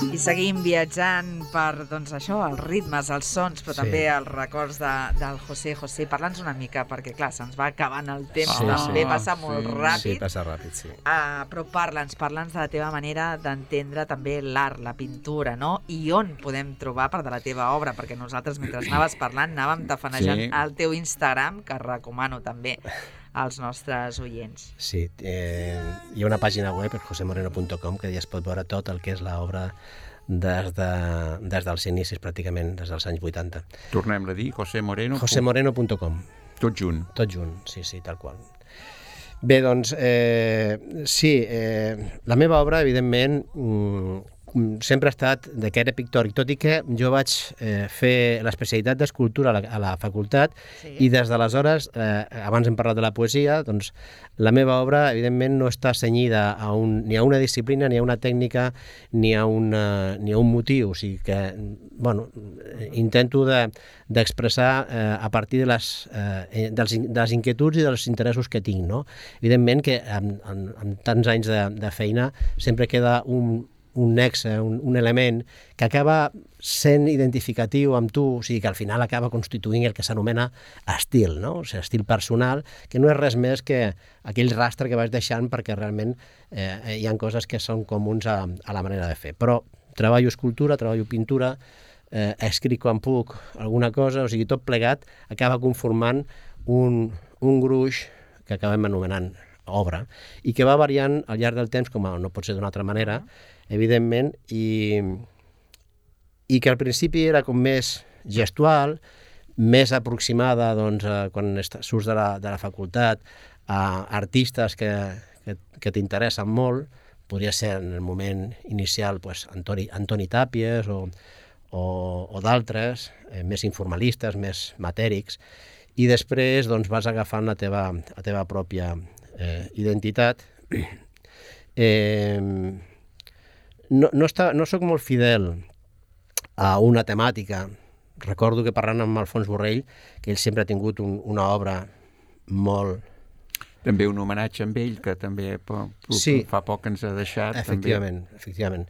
I seguim viatjant per, doncs això, els ritmes, els sons, però Sí. també els records de, del José José. Parla'ns una mica, perquè clar, se'ns va acabant el temps, Sí, també sí. passa molt Sí, ràpid. Sí, passa ràpid, sí. Uh, però parla'ns, parla'ns de la teva manera d'entendre també l'art, la pintura, no? I on podem trobar part de la teva obra? Perquè nosaltres, mentre anaves parlant, anàvem tafanejant Sí. el teu Instagram, que recomano també als nostres oients. Sí, eh, hi ha una pàgina web, jose moreno punt com, que ja es pot veure tot el que és l'obra des, de, des dels inicis, pràcticament, des dels anys vuitanta. Tornem-la a dir, José Moreno. jose moreno punt com. Tot junt. Tot junt, sí, sí, tal qual. Bé, doncs, eh, sí, eh, la meva obra, evidentment, mm, sempre ha estat de caire pictòric, tot i que jo vaig eh, fer l'especialitat d'escultura a, la, a la facultat, Sí. i des d'aleshores, eh, abans hem parlat de la poesia, doncs la meva obra, evidentment, no està cenyida a un, ni a una disciplina, ni a una tècnica, ni a, una, ni a un motiu, o sigui que, bueno, intento de, d'expressar eh, a partir de les, eh, dels, de les inquietuds i dels interessos que tinc, no? Evidentment que amb, amb, amb tants anys de, de feina sempre queda un, un nexe, un, un element que acaba sent identificatiu amb tu, o sigui que al final acaba constituint el que s'anomena estil, no? O sigui, estil personal, que no és res més que aquell rastre que vas deixant perquè realment eh, hi ha coses que són comuns a, a la manera de fer. Però treballo escultura, treballo pintura, eh, escric quan puc alguna cosa, o sigui, tot plegat acaba conformant un, un gruix que acabem anomenant obra, i que va variant al llarg del temps, com no pot ser d'una altra manera, evidentment, i, i que al principi era com més gestual, més aproximada, doncs, a, quan surts de la, de la facultat, a artistes que, que, que t'interessen molt. Podria ser en el moment inicial pues, Antoni, Antoni Tàpies o, o, o d'altres, eh, més informalistes, més matèrics, i després doncs, vas agafant la teva, la teva pròpia eh, identitat. Eh, no, no, està, no soc molt fidel a una temàtica. Recordo que parlant amb Alfons Borrell, que ell sempre ha tingut un, una obra molt... També un homenatge amb ell, que també sí. fa poc que ens ha deixat. Efectivament, també. efectivament.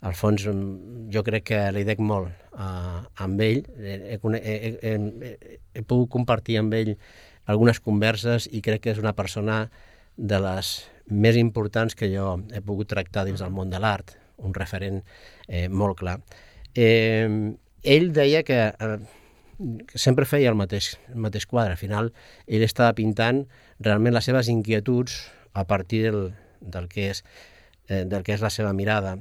Alfons, jo crec que li dec molt uh, amb ell. He, he, he, he, he pogut compartir amb ell algunes converses i crec que és una persona de les més importants que jo he pogut tractar dins del món de l'art, un referent eh, molt clar. Eh, ell deia que, eh, que sempre feia el mateix, el mateix quadre. Al final, ell estava pintant realment les seves inquietuds a partir del, del, que és, eh, del que és la seva mirada.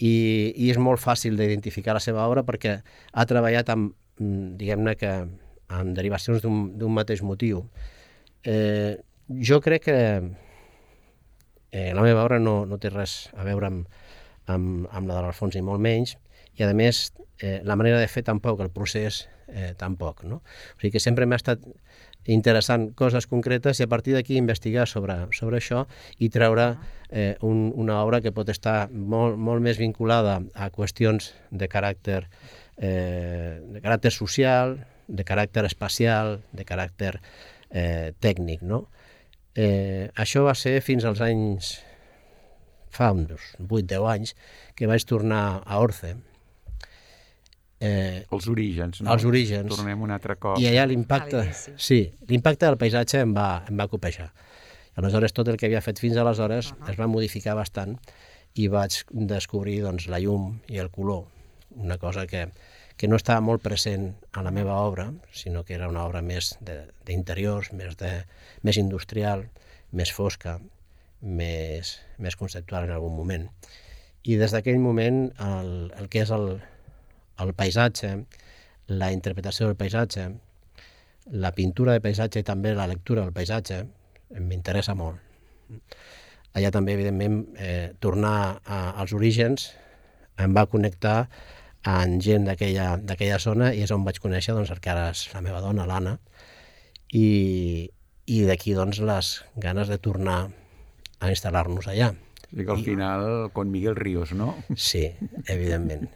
I, i és molt fàcil d'identificar la seva obra perquè ha treballat amb, diguem-ne que, amb derivacions d'un mateix motiu. Eh, jo crec que eh, la meva obra no, no té res a veure amb, amb, amb la de l'Alfons, ni molt menys, i a més eh, la manera de fer tampoc, el procés eh, tampoc, no? O sigui que sempre m'ha estat interessant coses concretes i a partir d'aquí investigar sobre, sobre això i treure eh, un, una obra que pot estar molt, molt més vinculada a qüestions de caràcter, eh, de caràcter social, de caràcter espacial, de caràcter eh, tècnic, no? Eh, això va ser fins als anys, fa uns vuit deu anys, que vaig tornar a Orce. Eh, els orígens, no? Els orígens. Tornem un altre cop. I allà l'impacte, sí, l'impacte del paisatge em va, em va copejar. Aleshores, tot el que havia fet fins aleshores uh -huh. es va modificar bastant i vaig descobrir doncs, la llum i el color, una cosa que, que no estava molt present a la meva obra, sinó que era una obra més d'interiors, més, de, més industrial, més fosca, més, més conceptual en algun moment. I des d'aquell moment el, el que és el el paisatge, la interpretació del paisatge, la pintura de paisatge i també la lectura del paisatge m'interessa molt. Allà també, evidentment, eh, tornar a, als orígens em va connectar amb gent d'aquella zona i és on vaig conèixer doncs, el que ara és la meva dona, l'Anna, i, i d'aquí doncs, les ganes de tornar a instal·lar-nos allà. I que al final, con Miguel Ríos, no? Sí, evidentment,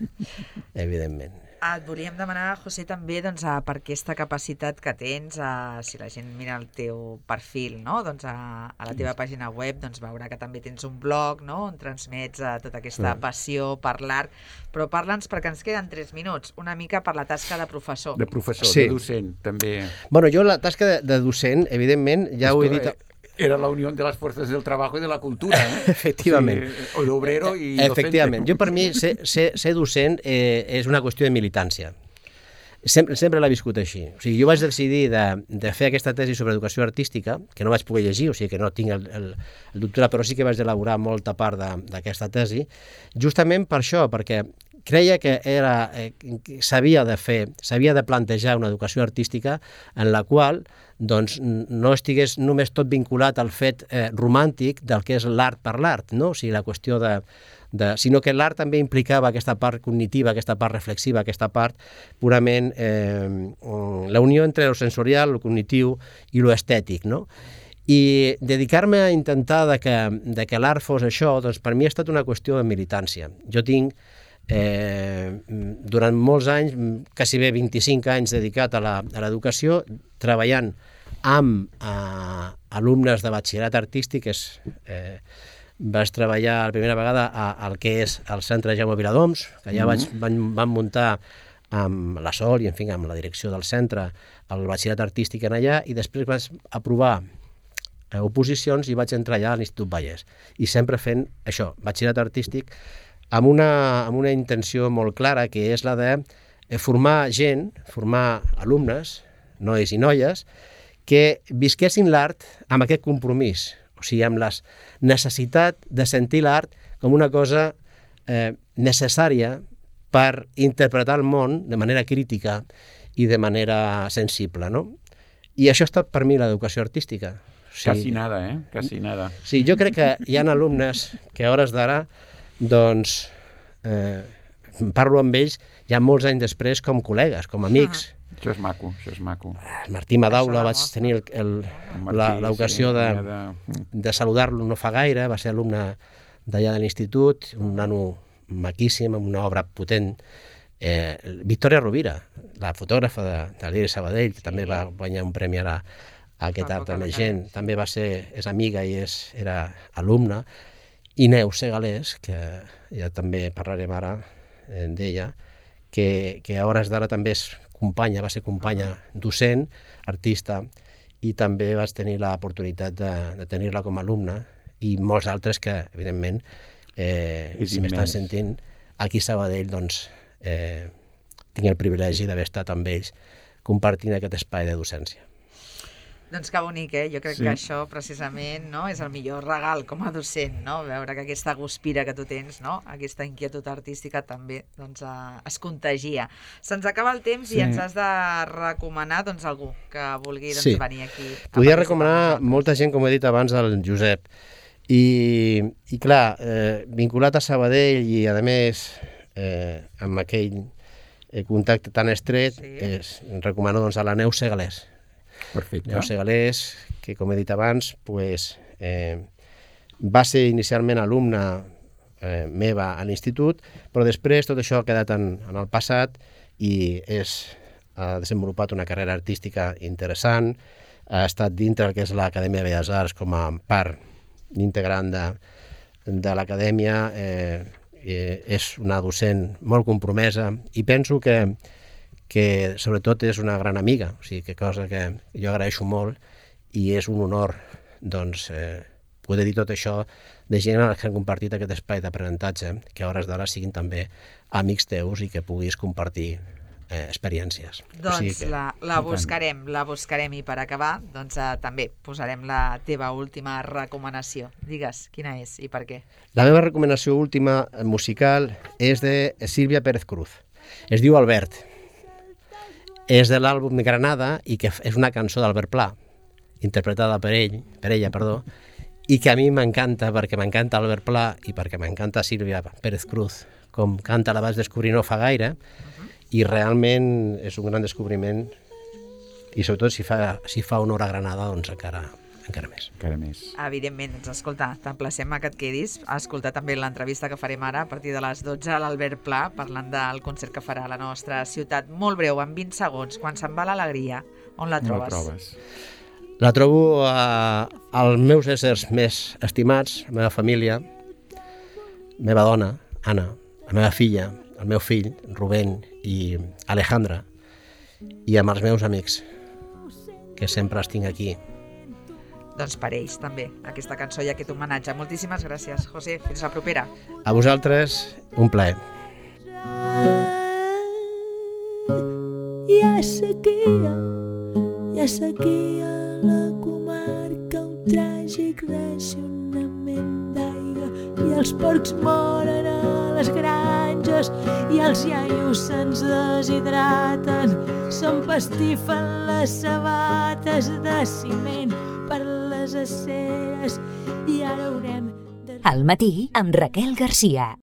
evidentment. Et volíem demanar, José, també doncs, per aquesta capacitat que tens, a, si la gent mira el teu perfil, no? doncs, a, a la teva pàgina web, doncs, veurà que també tens un blog, no? on transmets a, tota aquesta passió per l'art, però parla'ns, perquè ens queden tres minuts, una mica per la tasca de professor. De professor, sí. De docent, també. Bueno, jo la tasca de, de docent, evidentment, ja Esto ho he dit... Era la unió de les forces del treball i de la cultura, eh? Efectivament. O sigui, o d'obrero i docente. Efectivament. Jo, per mi, ser, ser, ser docent eh, és una qüestió de militància. Sempre, sempre l'he viscut així. O sigui, jo vaig decidir de, de fer aquesta tesi sobre educació artística, que no vaig poder llegir, o sigui que no tinc el, el, el doctorat, però sí que vaig elaborar molta part d'aquesta tesi, justament per això, perquè creia que era eh, s'havia de fer, s'havia de plantejar una educació artística en la qual doncs, no estigués només tot vinculat al fet eh, romàntic del que és l'art per l'art, no? O sigui, la qüestió de, de... sinó que l'art també implicava aquesta part cognitiva, aquesta part reflexiva, aquesta part purament eh, la unió entre el sensorial, el cognitiu i l'estètic, no? I dedicar-me a intentar de que, de que l'art fos això, doncs per mi ha estat una qüestió de militància. Jo tinc Eh, durant molts anys, quasi bé vint-i-cinc anys dedicat a l'educació, treballant amb eh, alumnes de batxillerat artístic. És, eh, vaig treballar la primera vegada al que és el Centre Jaume Viladoms, que allà vaig, van, van muntar amb la Sol i en fi, amb la direcció del centre el batxillerat artístic en allà, i després vaig aprovar eh, oposicions i vaig entrar allà a l'Institut Vallès, i sempre fent això, batxillerat artístic, amb una, amb una intenció molt clara, que és la de formar gent, formar alumnes, nois i noies, que visquessin l'art amb aquest compromís, o sigui, amb la necessitat de sentir l'art com una cosa eh, necessària per interpretar el món de manera crítica i de manera sensible, no? I això ha estat per mi l'educació artística. O sigui, Casi nada, eh? Casi nada. Sí, jo crec que hi ha alumnes que a hores d'ara doncs eh, parlo amb ells ja molts anys després com col·legues, com amics. Ah. Això és maco, això és maco. Martí Madaula vaig tenir l'ocasió sí, de, de... de saludar-lo no fa gaire, va ser alumne d'allà de l'institut, un nano maquíssim, amb una obra potent. Eh, Victòria Rovira, la fotògrafa de, de l'I R I Sabadell, que també va guanyar un premi ara a aquest art amb gent, també va ser, és amiga i és, era alumna. I Neus Segalés, que ja també parlarem ara eh, d'ella, que, que a hores d'ara també és companya, va ser companya docent, artista, i també vaig tenir l'oportunitat de, de tenir-la com a alumna, i molts altres que, evidentment, eh, si m'estan sentint, aquí a Sabadell, doncs, eh, tinc el privilegi d'haver estat amb ells compartint aquest espai de docència. Doncs que bonic, eh? Jo crec sí. que això precisament no, és el millor regal com a docent, no? Veure que aquesta guspira que tu tens, no? Aquesta inquietud artística també doncs, eh, es contagia. Se'ns acaba el temps sí. i ens has de recomanar doncs, algú que vulgui doncs, sí. venir aquí. Podia recomanar molta gent, com he dit abans, el Josep. I, i clar, eh, vinculat a Sabadell i a més eh, amb aquell eh, contacte tan estret, sí. és, recomano doncs, a la Neus Segalés. Perfecte. Neus Segalés, que com he dit abans, pues, eh, va ser inicialment alumna eh, meva a l'institut, però després tot això ha quedat en, en el passat i és, ha desenvolupat una carrera artística interessant, ha estat dintre del que és l'Acadèmia de Belles Arts com a part integrant de, de l'acadèmia, eh, eh, és una docent molt compromesa i penso que, que sobretot és una gran amiga, o sigui, que cosa que jo agraeixo molt i és un honor doncs, eh, poder dir tot això de gent que han compartit aquest espai d'aprenentatge, que a hores d'ara siguin també amics teus i que puguis compartir eh, experiències. Doncs o sigui que... la, la buscarem, la buscarem i per acabar doncs, eh, també posarem la teva última recomanació. Digues, quina és i per què? La meva recomanació última musical és de Sílvia Pérez Cruz. Es diu Albert. És de l'àlbum de Granada i que és una cançó d'Albert Pla, interpretada per ell, per ella, perdó, i que a mi m'encanta perquè m'encanta Albert Pla i perquè m'encanta Sílvia Pérez Cruz, com canta la vaig descobrir no fa gaire, uh-huh. i realment és un gran descobriment i sobretot si fa, si fa honor a Granada, doncs encara, encara més. Encara més. Evidentment, doncs escolta, t'emplacem a que et quedis a escoltar també l'entrevista que farem ara a partir de les dotze a l'Albert Pla, parlant del concert que farà a la nostra ciutat. Molt breu, en vint segons, quan se'n va l'alegria, on la trobes? On la trobes? La trobo a, als meus éssers més estimats, la meva família, la meva dona, Anna, la meva filla, el meu fill, Rubén i Alejandra, i amb els meus amics, que sempre els tinc aquí. Doncs per ells també, aquesta cançó i aquest homenatge. Moltíssimes gràcies, José. Fins la propera. A vosaltres, un plaer. Hi ha sequia, hi ha sequia a la comarca, un tràgic racionament d'aigua, i els porcs moren a les granges i els iaios se'ns deshidraten, s'empastifen les sabates de ciment per les aceres i ara haurem de... Al matí amb Raquel Garcia.